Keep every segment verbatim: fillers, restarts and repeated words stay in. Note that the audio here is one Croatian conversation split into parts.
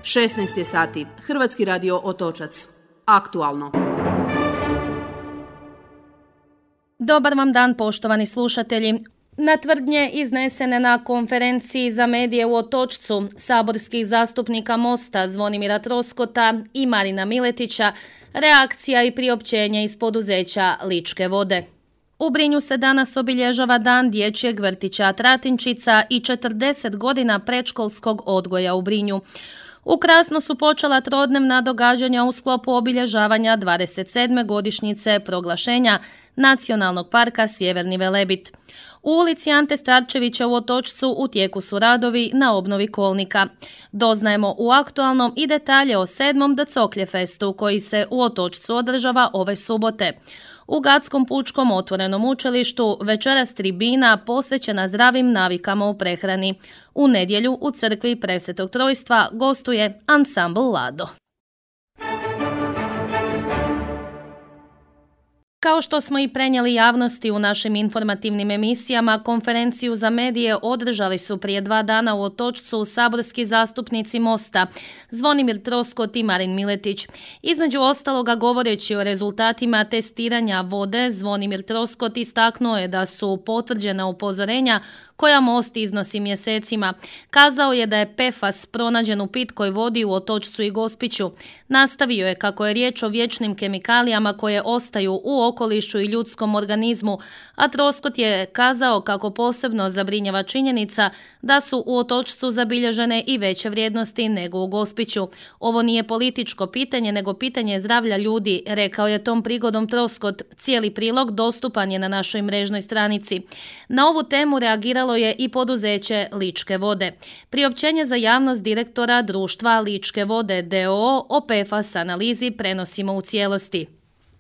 šesnaest je sati. Hrvatski radio Otočac. Aktualno. Dobar vam dan, poštovani slušatelji. Na tvrdnje iznesene na konferenciji za medije u Otočcu saborskih zastupnika Mosta Zvonimira Troskota i Marina Miletića reakcija i priopćenje iz poduzeća Ličke vode. U Brinju se danas obilježava dan dječjeg vrtića Tratinčica i četrdeset godina predškolskog odgoja u Brinju. U Krasno su počela trodnevna događanja u sklopu obilježavanja dvadeset sedme godišnjice proglašenja Nacionalnog parka Sjeverni Velebit. U ulici Ante Starčevića u Otočcu u tijeku su radovi na obnovi kolnika. Doznajemo u aktualnom i detalje o sedmom Dcoklje festu koji se u Otočcu održava ove subote. U Gatskom pučkom otvorenom učilištu večeras tribina posvećena zdravim navikama u prehrani. U nedjelju u crkvi Presvetog Trojstva gostuje ansambl Lado. Kao što smo i prenijeli javnosti u našim informativnim emisijama, konferenciju za medije održali su prije dva dana u Otočcu saborski zastupnici Mosta Zvonimir Troskot i Marin Miletić. Između ostaloga, govoreći o rezultatima testiranja vode, Zvonimir Troskot istaknuo je da su potvrđena upozorenja koja Most iznosi mjesecima. Kazao je da je P F A S pronađen u pitkoj vodi u Otočcu i Gospiću. Nastavio je kako je riječ o vječnim kemikalijama koje ostaju u okolišu i ljudskom organizmu, a Troskot je kazao kako posebno zabrinjava činjenica da su u Otočcu zabilježene i veće vrijednosti nego u Gospiću. Ovo nije političko pitanje, nego pitanje zdravlja ljudi, rekao je tom prigodom Troskot. Cijeli prilog dostupan je na našoj mrežnoj stranici. Na ovu temu reagiralo je i poduzeće Ličke vode. Priopćenje za javnost direktora društva Ličke vode d o o o P F A S analizi prenosimo u cijelosti.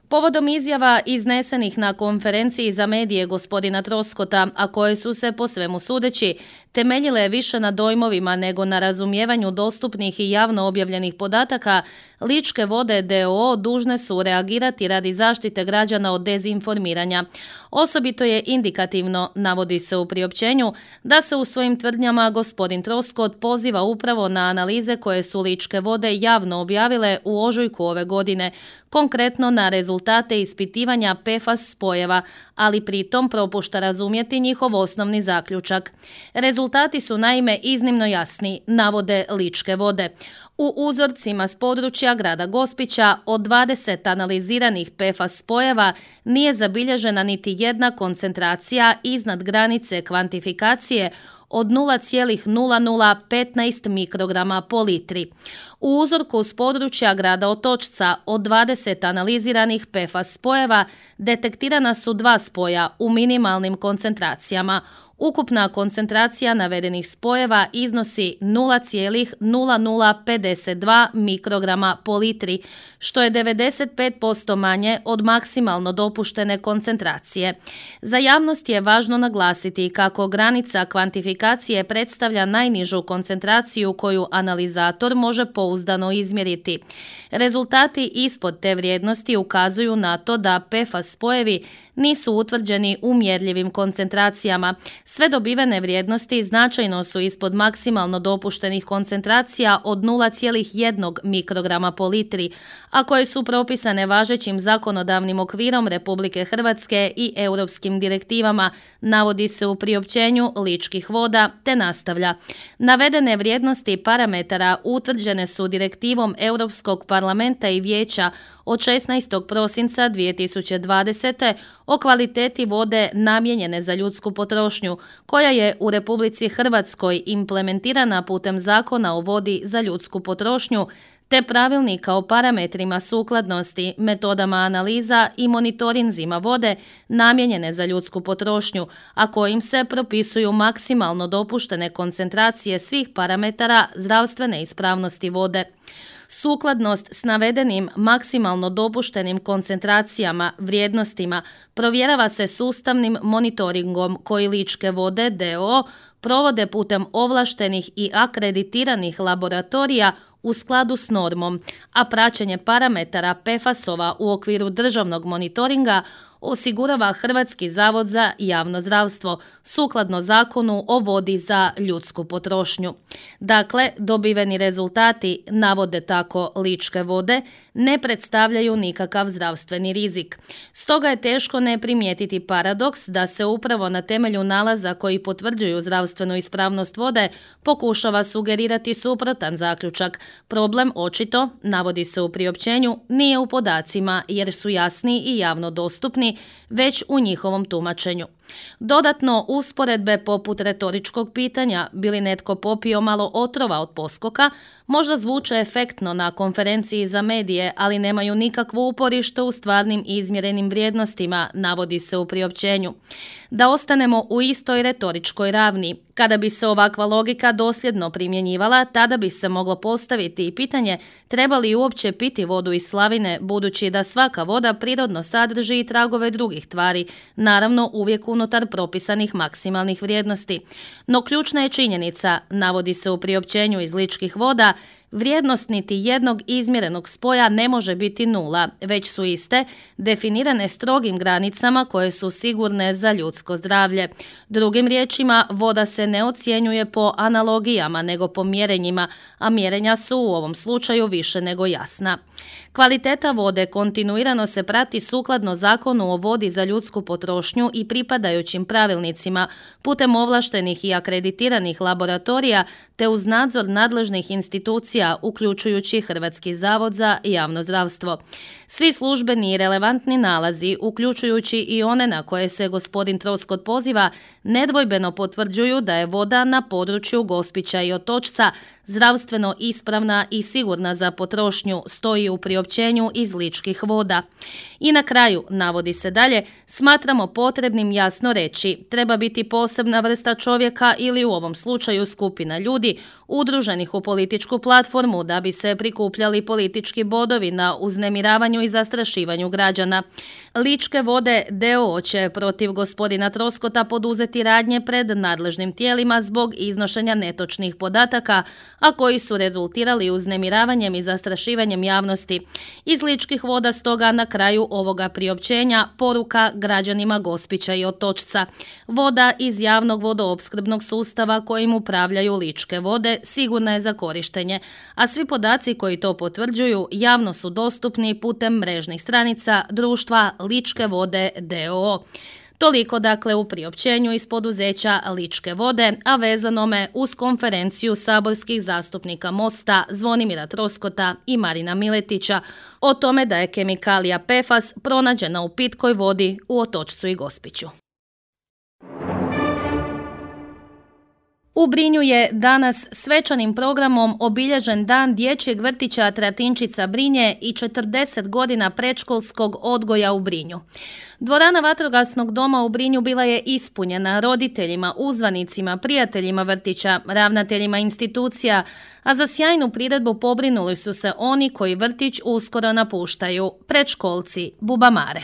Povodom izjava iznesenih na konferenciji za medije gospodina Troskota, a koje su se po svemu sudeći temeljile više na dojmovima nego na razumijevanju dostupnih i javno objavljenih podataka, Ličke vode d o o dužne su reagirati radi zaštite građana od dezinformiranja. Osobito je indikativno, navodi se u priopćenju, da se u svojim tvrdnjama gospodin Troskot poziva upravo na analize koje su Ličke vode javno objavile u ožujku ove godine, konkretno na rezultate ispitivanja P F A S spojeva, ali pritom propušta razumjeti njihov osnovni zaključak. Rezultati su naime iznimno jasni, navode Ličke vode. U uzorcima s područja grada Gospića od dvadeset analiziranih P F A S spojeva nije zabilježena niti jedna koncentracija iznad granice kvantifikacije od nula zarez nula nula petnaest mikrograma po litri. U uzorku s područja grada Otočca od dvadeset analiziranih P F A S spojeva detektirana su dva spoja u minimalnim koncentracijama. Ukupna koncentracija navedenih spojeva iznosi nula zarez nula nula pedeset dva mikrograma po litri, što je devedeset pet posto manje od maksimalno dopuštene koncentracije. Za javnost je važno naglasiti kako granica kvantifikacije predstavlja najnižu koncentraciju koju analizator može pouzdano izmjeriti. Rezultati ispod te vrijednosti ukazuju na to da P F A S spojevi nisu utvrđeni u mjerljivim koncentracijama. Sve dobivene vrijednosti značajno su ispod maksimalno dopuštenih koncentracija od nula zarez jedan mikrograma po litri, a koje su propisane važećim zakonodavnim okvirom Republike Hrvatske i europskim direktivama, navodi se u priopćenju Ličkih voda, te nastavlja. Navedene vrijednosti parametara utvrđene su direktivom Europskog parlamenta i vijeća od šesnaestog prosinca dvije tisuće dvadesete o kvaliteti vode namijenjene za ljudsku potrošnju, koja je u Republici Hrvatskoj implementirana putem Zakona o vodi za ljudsku potrošnju, te pravilnika o parametrima sukladnosti, metodama analiza i monitorinzima vode namijenjene za ljudsku potrošnju, a kojim se propisuju maksimalno dopuštene koncentracije svih parametara zdravstvene ispravnosti vode. Sukladnost s navedenim maksimalno dopuštenim koncentracijama, vrijednostima, provjerava se sustavnim monitoringom koji Ličke vode d o o provode putem ovlaštenih i akreditiranih laboratorija u skladu s normom, a praćenje parametara P F A S-ova u okviru državnog monitoringa osigurava Hrvatski zavod za javno zdravstvo, sukladno zakonu o vodi za ljudsku potrošnju. Dakle, dobiveni rezultati, navode tako Ličke vode, ne predstavljaju nikakav zdravstveni rizik. Stoga je teško ne primijetiti paradoks da se upravo na temelju nalaza koji potvrđuju zdravstvenu ispravnost vode pokušava sugerirati suprotan zaključak. Problem očito, navodi se u priopćenju, nije u podacima jer su jasni i javno dostupni, već u njihovom tumačenju. Dodatno, usporedbe poput retoričkog pitanja bi li netko popio malo otrova od poskoka, možda zvuče efektno na konferenciji za medije, ali nemaju nikakvo uporište u stvarnim izmjerenim vrijednostima, navodi se u priopćenju. Da ostanemo u istoj retoričkoj ravni, kada bi se ovakva logika dosljedno primjenjivala, tada bi se moglo postaviti i pitanje treba li uopće piti vodu iz slavine, budući da svaka voda prirodno sadrži i tragove drugih tvari, naravno uvijek unutar propisanih maksimalnih vrijednosti. No ključna je činjenica, navodi se u priopćenju iz Ličkih voda, vrijednost niti jednog izmjerenog spoja ne može biti nula, već su iste, definirane strogim granicama koje su sigurne za ljudsko zdravlje. Drugim riječima, voda se ne ocjenjuje po analogijama, nego po mjerenjima, a mjerenja su u ovom slučaju više nego jasna. Kvaliteta vode kontinuirano se prati sukladno Zakonu o vodi za ljudsku potrošnju i pripadajućim pravilnicima putem ovlaštenih i akreditiranih laboratorija te uz nadzor nadležnih institucija, uključujući Hrvatski zavod za javno zdravstvo. Svi službeni i relevantni nalazi, uključujući i one na koje se gospodin Troskot poziva, nedvojbeno potvrđuju da je voda na području Gospića i Otočca zdravstveno ispravna i sigurna za potrošnju, stoji u priopćenju iz Ličkih voda. I na kraju, navodi se dalje, smatramo potrebnim jasno reći, treba biti posebna vrsta čovjeka ili u ovom slučaju skupina ljudi udruženih u političku platformu da bi se prikupljali politički bodovi na uznemiravanju i zastrašivanju građana. Ličke vode d o o će protiv gospodina Troskota poduzeti radnje pred nadležnim tijelima zbog iznošenja netočnih podataka, a koji su rezultirali uznemiravanjem i zastrašivanjem javnosti. Iz Ličkih voda stoga na kraju ovoga priopćenja poruka građanima Gospića i Otočca. Voda iz javnog vodoopskrbnog sustava kojim upravljaju Ličke vode sigurna je za korištenje, a svi podaci koji to potvrđuju javno su dostupni putem mrežnih stranica društva Ličke vode d o o. Toliko dakle u priopćenju iz poduzeća Ličke vode, a vezanome uz konferenciju saborskih zastupnika Mosta Zvonimira Troskota i Marina Miletića o tome da je kemikalija P F A S pronađena u pitkoj vodi u Otočcu i Gospiću. U Brinju je danas svečanim programom obilježen dan dječjeg vrtića Tratinčica Brinje i četrdeset godina predškolskog odgoja u Brinju. Dvorana vatrogasnog doma u Brinju bila je ispunjena roditeljima, uzvanicima, prijateljima vrtića, ravnateljima institucija, a za sjajnu priredbu pobrinuli su se oni koji vrtić uskoro napuštaju, predškolci, bubamare.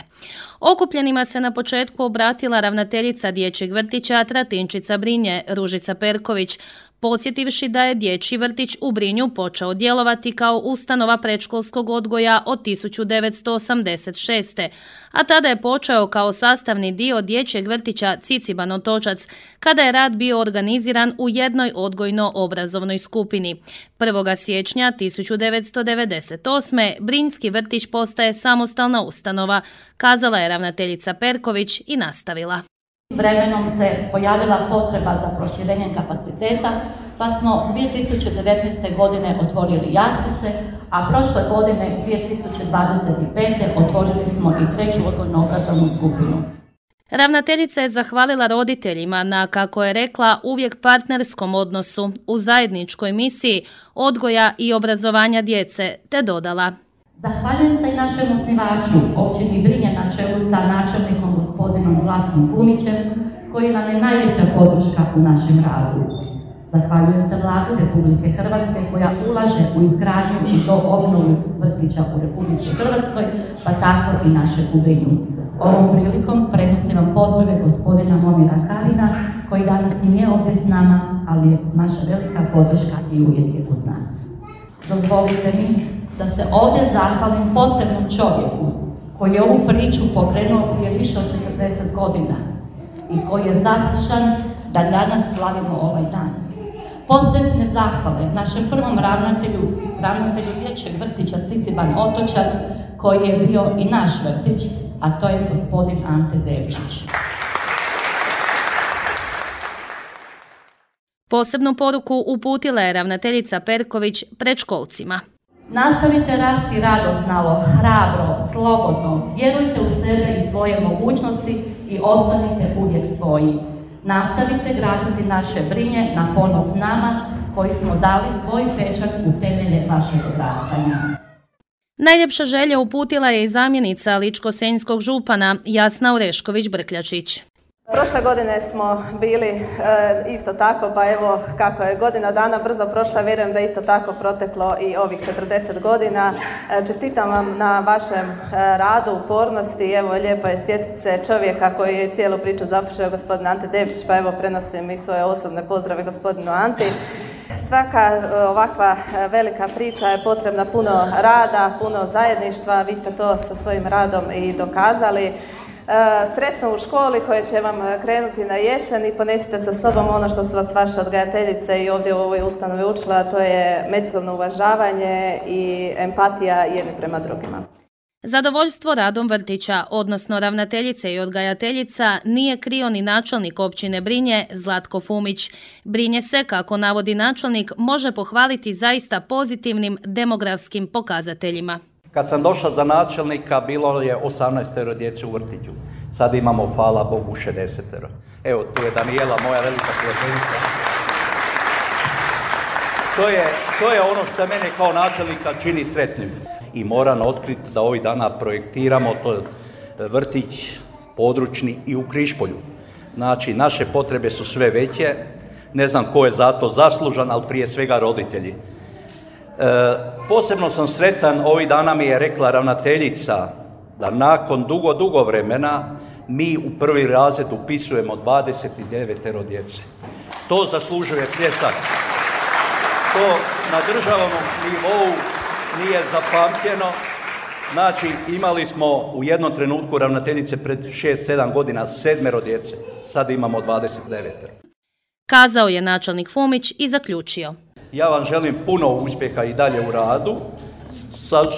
Okupljenima se na početku obratila ravnateljica dječjeg vrtića Tratinčica Brinje, Ružica Perković, podsjetivši da je dječji vrtić u Brinju počeo djelovati kao ustanova predškolskog odgoja od tisuću devetsto osamdeset šeste. a tada je počeo kao sastavni dio dječjeg vrtića Ciciban Otočac, kada je rad bio organiziran u jednoj odgojno-obrazovnoj skupini. prvog siječnja tisuću devetsto devedeset osme. Brinjski vrtić postaje samostalna ustanova, kazala je ravnateljica Perković i nastavila. Vremenom se pojavila potreba za proširenjem kapaciteta, pa smo dvije tisuće devetnaeste. godine otvorili jaslice, a prošle godine dvije tisuće dvadeset pete. otvorili smo i treću odgojno-obrazovnu skupinu. Ravnateljica je zahvalila roditeljima na, kako je rekla, uvijek partnerskom odnosu u zajedničkoj misiji odgoja i obrazovanja djece, te dodala: Zahvaljujem se i našem osnivaču, općini Brinje na čelu sa načelnikom gospodinom Zlatkom Kumićem, koji nam je najveća podrška u našem radu. Zahvaljujem se Vladi Republike Hrvatske koja ulaže u izgradnju i do obnovu vrtića u Republici Hrvatskoj, pa tako i naše u Brinju. Ovom prilikom prenosim vam pozdrave gospodina Momira Karina, koji danas nije ovdje s nama, ali je naša velika podrška i uvijek je uz nas. Dozvolite mi da se ovdje zahvalim posebnom čovjeku koji je ovu priču pokrenuo prije više od četrdeset godina i koji je zaslužan da danas slavimo ovaj dan. Posebne zahvale našem prvom ravnatelju, ravnatelju dječjeg vrtića Ciciban Otočac, koji je bio i naš vrtić, a to je gospodin Ante Devčić. Posebnu poruku uputila je ravnateljica Perković predškolcima. Nastavite rasti radosnalo, hrabro, slobodno, vjerujte u sebe i svoje mogućnosti i ostanite uvijek svoji. Nastavite graditi naše Brinje na ponos nama koji smo dali svoj pečat u temelje vašeg odrastanja. Najljepša želja uputila je i zamjenica ličko-senjskog župana Jasna Orešković-Brkljačić. Prošle godine smo bili e, isto tako, pa evo kako je godina dana brzo prošla, vjerujem da je isto tako proteklo i ovih četrdeset godina. E, čestitam vam na vašem e, radu, upornosti, evo lijepo je sjetiti se čovjeka koji je cijelu priču započeo, gospodin Ante Devčić, pa evo prenosim i svoje osobne pozdrave gospodinu Anti. Svaka ovakva velika priča je potrebna puno rada, puno zajedništva, vi ste to sa svojim radom i dokazali. Sretno u školi koje će vam krenuti na jesen i ponesite sa sobom ono što su vas vaše odgajateljice i ovdje u ovoj ustanovi učila, a to je međusobno uvažavanje i empatija jedni prema drugima. Zadovoljstvo radom vrtića, odnosno ravnateljice i odgajateljica, nije krio ni načelnik općine Brinje Zlatko Fumić. Brinje se, kako navodi načelnik, može pohvaliti zaista pozitivnim demografskim pokazateljima. Kad sam došao za načelnika, bilo je osamnaestero djece u vrtiću. Sad imamo, hvala Bogu, šezdesetero. Evo, tu je Danijela, moja velika prijateljica. To je, to je ono što mene kao načelnika čini sretnim. I moram otkriti da ovih dana projektiramo to vrtić područni i u Križpolju. Znači, naše potrebe su sve veće. Ne znam ko je za to zaslužan, ali prije svega roditelji. E, posebno sam sretan, ovih dana mi je rekla ravnateljica da nakon dugo, dugo vremena mi u prvi razred upisujemo dvadeset devet djece. To zaslužuje pljesak. To na državnom nivou nije zapamtjeno. Znači, imali smo u jednom trenutku ravnateljice pred šest sedam godina sedmero djece. Sad imamo dvadeset devet. Kazao je načelnik Fumić i zaključio. Ja vam želim puno uspjeha i dalje u radu.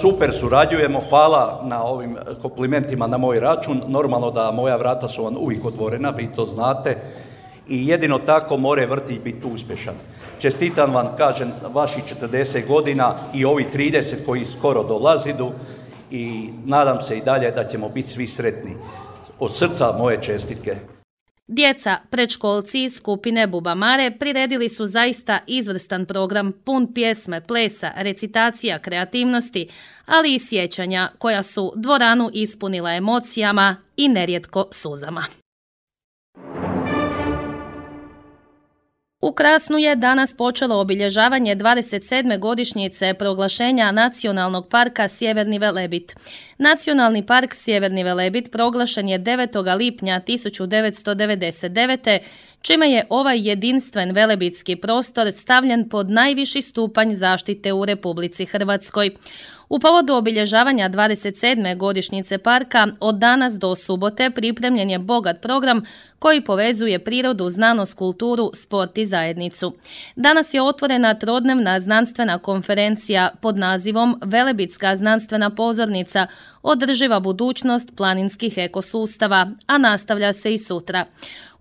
Super surađujemo, hvala na ovim komplimentima na moj račun. Normalno da moja vrata su vam uvijek otvorena, vi to znate. I jedino tako more vrtić biti uspješan. Čestitam vam, kažem, vaših četrdeset godina i ovi trideset koji skoro dolazidu i nadam se i dalje da ćemo biti svi sretni. Od srca moje čestitke. Djeca, predškolci iz skupine Bubamare priredili su zaista izvrstan program pun pjesme, plesa, recitacija, kreativnosti, ali i sjećanja koja su dvoranu ispunila emocijama i nerijetko suzama. U Krasnu je danas počelo obilježavanje dvadeset sedme godišnjice proglašenja Nacionalnog parka Sjeverni Velebit. Nacionalni park Sjeverni Velebit proglašen je devetog lipnja tisuću devetsto devedeset devete. čime je ovaj jedinstven velebitski prostor stavljen pod najviši stupanj zaštite u Republici Hrvatskoj. U povodu obilježavanja dvadeset sedme godišnjice parka od danas do subote pripremljen je bogat program koji povezuje prirodu, znanost, kulturu, sport i zajednicu. Danas je otvorena trodnevna znanstvena konferencija pod nazivom Velebitska znanstvena pozornica – održiva budućnost planinskih ekosustava, a nastavlja se i sutra.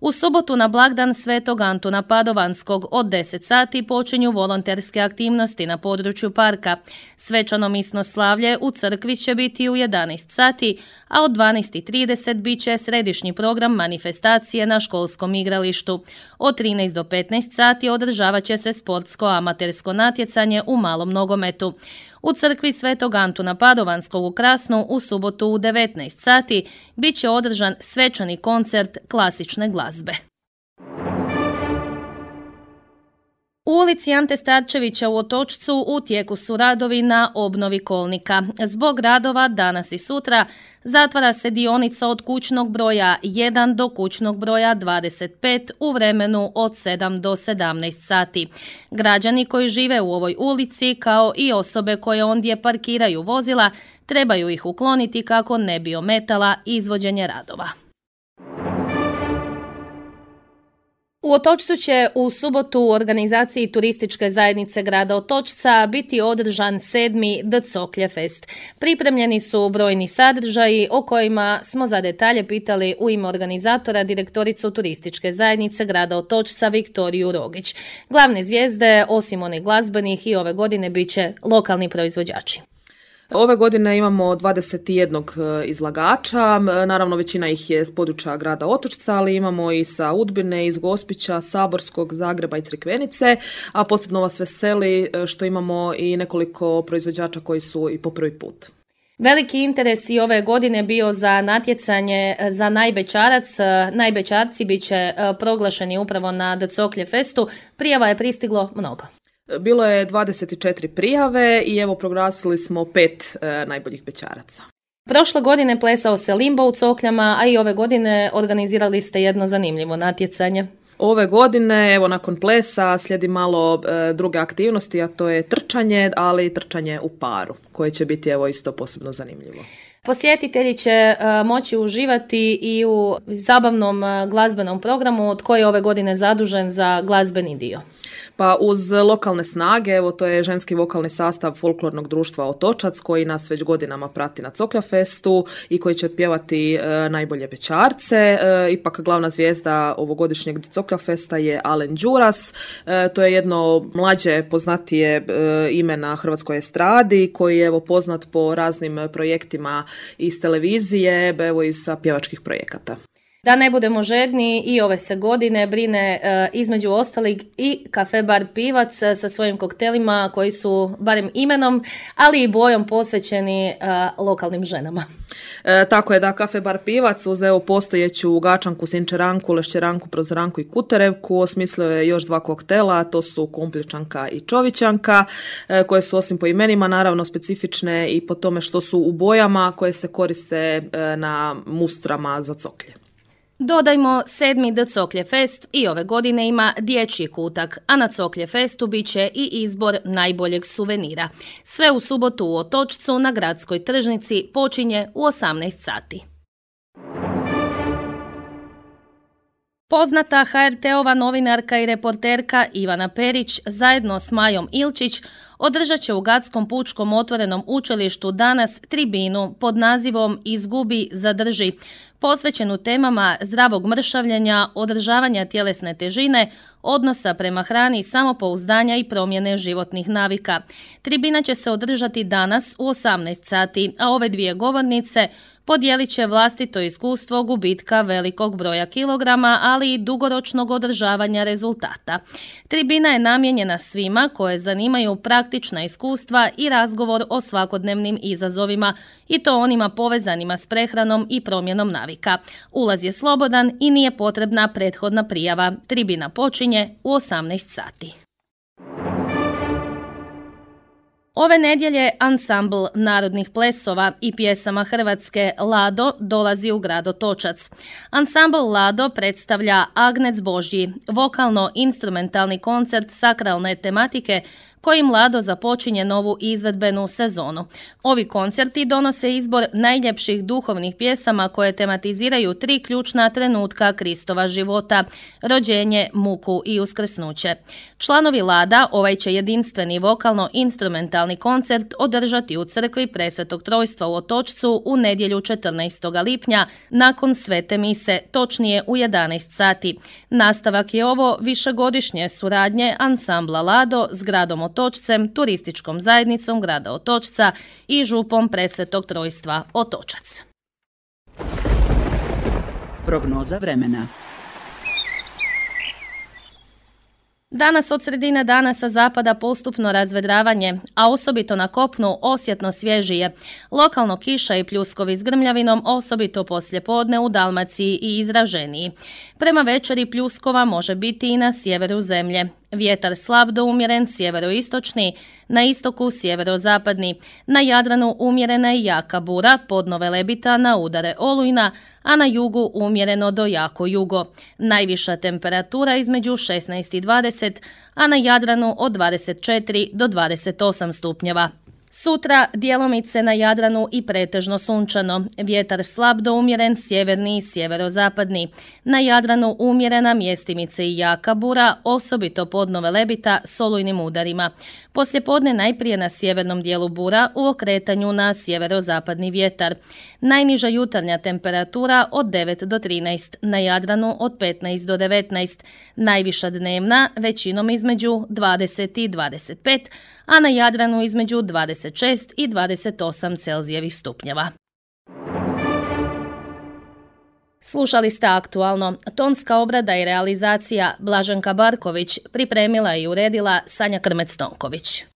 U subotu na blagdan Svetog Antuna Padovanskog od deset sati počinju volonterske aktivnosti na području parka. Svečano misno slavlje u crkvi će biti u jedanaest sati, a od dvanaest i trideset bit će središnji program manifestacije na školskom igralištu. Od trinaest do petnaest sati održavat će se sportsko-amatersko natjecanje u malom nogometu. U crkvi Svetog Antuna Padovanskog u Krasnu u subotu u devetnaest sati bit će održan svečani koncert klasične glazbe. U ulici Ante Starčevića u Otočcu u tijeku su radovi na obnovi kolnika. Zbog radova danas i sutra zatvara se dionica od kućnog broja jedan do kućnog broja dvadeset pet u vremenu od sedam do sedamnaest sati. Građani koji žive u ovoj ulici, kao i osobe koje ondje parkiraju vozila, trebaju ih ukloniti kako ne bi ometala izvođenje radova. U Otočcu će u subotu u organizaciji Turističke zajednice grada Otočca biti održan sedmi Dcoklje fest. Pripremljeni su brojni sadržaji o kojima smo za detalje pitali u ime organizatora direktoricu Turističke zajednice grada Otočca Viktoriju Rogić. Glavne zvijezde, osim onih glazbenih, i ove godine bit će lokalni proizvođači. Ove godine imamo dvadeset jedan izlagača, naravno većina ih je s područja grada Otočca, ali imamo i sa Udbine, iz Gospića, Saborskog, Zagreba i Crikvenice, a posebno vas veseli što imamo i nekoliko proizvođača koji su i po prvi put. Veliki interes i ove godine bio za natjecanje za najbećarac. Najbećarci bit će proglašeni upravo na Dcoklje festu. Prijava je pristiglo mnogo. Bilo je dvadeset četiri prijave i evo proglasili smo pet e, najboljih bećaraca. Prošle godine plesao se limbo u Cokljama, a i ove godine organizirali ste jedno zanimljivo natjecanje. Ove godine, evo nakon plesa, slijedi malo e, druge aktivnosti, a to je trčanje, ali trčanje u paru, koje će biti evo isto posebno zanimljivo. Posjetitelji će uh, moći uživati i u zabavnom uh, glazbenom programu od koje je ove godine zadužen za glazbeni dio. Pa uz lokalne snage, evo to je ženski vokalni sastav folklornog društva Otočac koji nas već godinama prati na Coklja festu i koji će otpjevati e, najbolje bećarce. E, ipak glavna zvijezda ovogodišnjeg Coklja festa je Alen Đuras. E, to je jedno mlađe, poznatije e, ime na hrvatskoj estradi koji je evo poznat po raznim projektima iz televizije, evo iz pjevačkih projekata. Da ne budemo žedni, i ove se godine brine e, između ostalih i Kafe Bar Pivac sa svojim koktelima koji su barem imenom, ali i bojom posvećeni e, lokalnim ženama. E, tako je da Kafe Bar Pivac uz evo postojeću gačanku, sinčeranku, lešćeranku, prozoranku i kuterevku osmislio je još dva koktela, to su kumpljičanka i čovićanka, e, koje su osim po imenima naravno specifične i po tome što su u bojama koje se koriste e, na mustrama za coklje. Dodajmo, sedmi Dcoklje fest i ove godine ima dječji kutak, a na Coklje festu bit će i izbor najboljeg suvenira. Sve u subotu u Otočcu na gradskoj tržnici počinje u osamnaest sati. Poznata ha er te-ova novinarka i reporterka Ivana Perić zajedno s Majom Ilčić održat će u Gadskom pučkom otvorenom učilištu danas tribinu pod nazivom Izgubi, zadrži, posvećenu temama zdravog mršavljenja, održavanja tjelesne težine, odnosa prema hrani, samopouzdanja i promjene životnih navika. Tribina će se održati danas u osamnaest sati, a ove dvije govornice podijelit će vlastito iskustvo gubitka velikog broja kilograma, ali i dugoročnog održavanja rezultata. Tribina je namijenjena svima koje zanimaju praktična iskustva i razgovor o svakodnevnim izazovima, i to onima povezanima s prehranom i promjenom navika. Ulaz je slobodan i nije potrebna prethodna prijava. Tribina počinje u osamnaest sati. Ove nedjelje ansambl narodnih plesova i pjesama Hrvatske Lado dolazi u grad Otočac. Ansambl Lado predstavlja Agnec Božji, vokalno-instrumentalni koncert sakralne tematike kojim Lado započinje novu izvedbenu sezonu. Ovi koncerti donose izbor najljepših duhovnih pjesama koje tematiziraju tri ključna trenutka Kristova života: rođenje, muku i uskrsnuće. Članovi Lada ovaj će jedinstveni vokalno-instrumentalni koncert održati u crkvi Presvetog Trojstva u Otočcu u nedjelju četrnaestog lipnja nakon svete mise, točnije u jedanaest sati. Nastavak je ovo višegodišnje suradnje ansambla Lado s gradom Otočcem, turističkom zajednicom grada Otočca i župom Presvetog Trojstva Otočac. Prognoza vremena. Danas od sredine dana sa zapada postupno razvedravanje, a osobito na kopnu osjetno svježije. Lokalno kiša i pljuskovi s grmljavinom, osobito poslijepodne u Dalmaciji i izraženiji. Prema večeri pljuskova može biti i na sjeveru zemlje. Vjetar slab do umjeren sjeveroistočni, na istoku sjeverozapadni, na Jadranu umjerena i jaka bura, podno Velebita na udare olujna, a na jugu umjereno do jako jugo. Najviša temperatura između šesnaest i dvadeset, a na Jadranu od dvadeset četiri do dvadeset osam stupnjeva. Sutra djelomice na Jadranu i pretežno sunčano, vjetar slab do umjeren sjeverni i sjeverozapadni. Na Jadranu umjerena mjestimice i jaka bura, osobito podno Velebita s olujnim udarima. Poslijepodne najprije na sjevernom dijelu bura u okretanju na sjeverozapadni vjetar. Najniža jutarnja temperatura od devet do trinaest, na Jadranu od petnaest do devetnaest. Najviša dnevna većinom između dvadeset i dvadeset pet, a na Jadranu između dvadeset šest i dvadeset osam Celzijevih stupnjeva. Slušali ste aktualno. Tonska obrada i realizacija Blaženka Barković, pripremila i uredila Sanja Krmec-Tonković.